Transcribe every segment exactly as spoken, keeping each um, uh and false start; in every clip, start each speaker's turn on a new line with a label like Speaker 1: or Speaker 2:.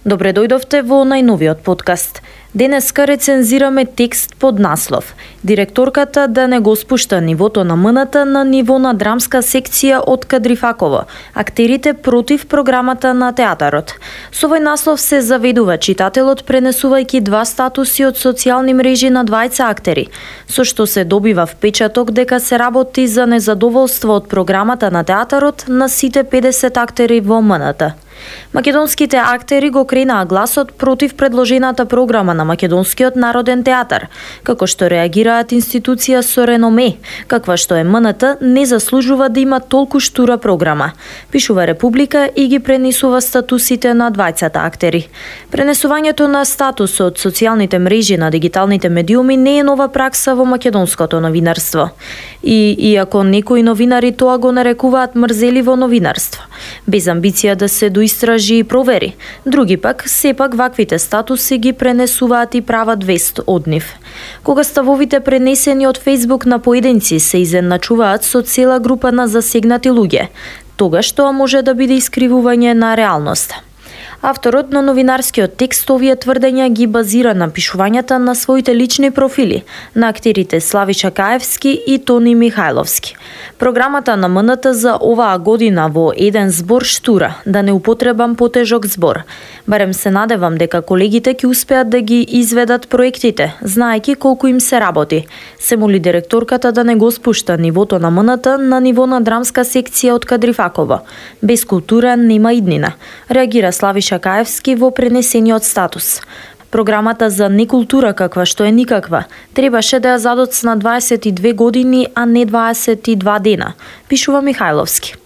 Speaker 1: Добре дојдовте во најновиот подкаст. Денеска рецензираме текст под наслов "Директорката да не го спушта нивото на М Н Т на ниво на драмска секција од Кадрифаково. Актерите против програмата на театарот". Со овој наслов се заведува читателот пренесувајќи два статуси од социјални мрежи на двајца актери, со што се добива впечаток дека се работи за незадоволство од програмата на театарот на сите педесет актери во М Н Т. Македонските актери го кренаа гласот против предложената програма на Македонскиот народен театар, како што реагираат институција со реноме, каква што е М Н Т, не заслужува да има толку штура програма, пишува Република и ги пренесува статусите на двајцата актери. Пренесувањето на статус од социјалните мрежи на дигиталните медиуми не е нова пракса во македонското новинарство. И иако некои новинари тоа го нарекуваат мрзеливо новинарство, без амбиција да се доистражи и провери, други пак сепак ваквите статуси ги пренесуваат и прават вест од нив. Кога ставовите пренесени од Facebook на поединци се изедначуваат со цела група на засегнати луѓе, тогаш тоа може да биде искривување на реалноста. Авторот на новинарскиот текст овие тврдења ги базира на пишувањата на своите лични профили на актерите Славиша Каевски и Тони Михајловски. Програмата на М Н Т за оваа година во еден збор штура, да не употребам потежок збор. Барем се надевам дека колегите ќе успеат да ги изведат проектите, знаејќи колку им се работи. Се моли директорката да не го спушта нивото на М Н Т на ниво на драмска секција од Кадрифаково. Без култура нема иднина, реагира Славиша Каевски во пренесениот статус. Програмата за некултура, каква што е никаква, требаше да ја задоцна дваесет и две години, а не дваесет и два дена, пишува Михајловски.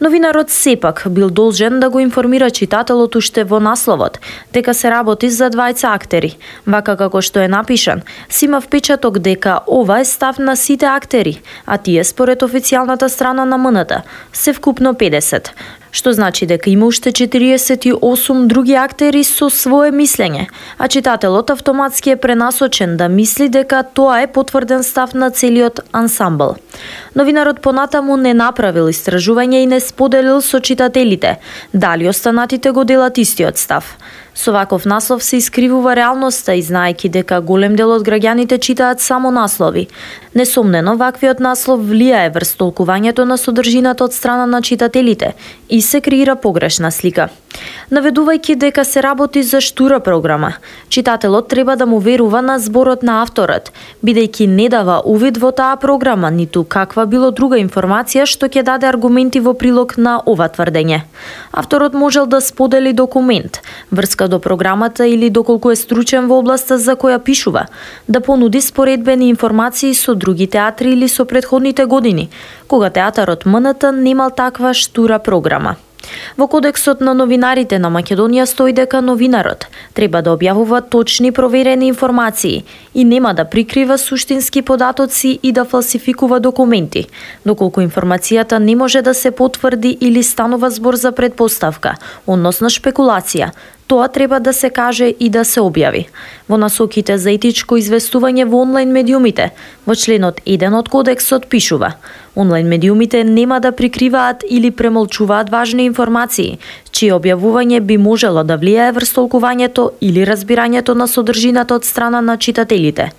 Speaker 1: Новинарот сепак бил должен да го информира читателот уште во насловот дека се работи за двајца актери. Вака како што е напишан, си има впечаток дека ова е став на сите актери, а тие според официјалната страна на М Н Т се вкупно педесет. Што значи дека има уште четириесет и осум други актери со свое мислење, а читателот автоматски е пренасочен да мисли дека тоа е потврден став на целиот ансамбл. Новинарот понатаму не направил истражување и не споделил со читателите дали останатите го делат истиот став. Со ваков наслов се искривува реалноста и знаејќи дека голем дел од граѓаните читаат само наслови. Несомнено, ваквиот наслов влијае врз толкувањето на содржината од страна на читателите и се креира погрешна слика. Наведувајќи дека се работи за штура програма, читателот треба да му верува на зборот на авторот, бидејќи не дава увид во таа програма, ниту каква било друга информација што ќе даде аргументи во прилог на ова тврдење. Авторот можел да сподели документ, врска до програмата или доколку е стручен во областа за која пишува, да понуди споредбени информации со други театри или со претходните години, кога театарот М Н Т немал таква штура програма. Во Кодексот на новинарите на Македонија стои дека новинарот треба да објавува точни проверени информации и нема да прикрива суштински податоци и да фалсификува документи, доколку информацијата не може да се потврди или станува збор за предпоставка, односно шпекулација. Тоа треба да се каже и да се објави. Во насоките за етичко известување во онлайн медиумите, во членот еден од Кодексот пишува: онлайн медиумите нема да прикриваат или премолчуваат важни информации, чие објавување би можело да влијае врз толкувањето или разбирањето на содржината од страна на читателите.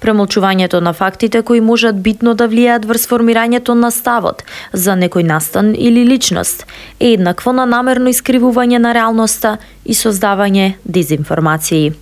Speaker 1: Премолчувањето на фактите кои можат битно да влијаат врз формирањето на ставот за некој настан или личност е еднакво на намерно искривување на реалноста и создавање дезинформации.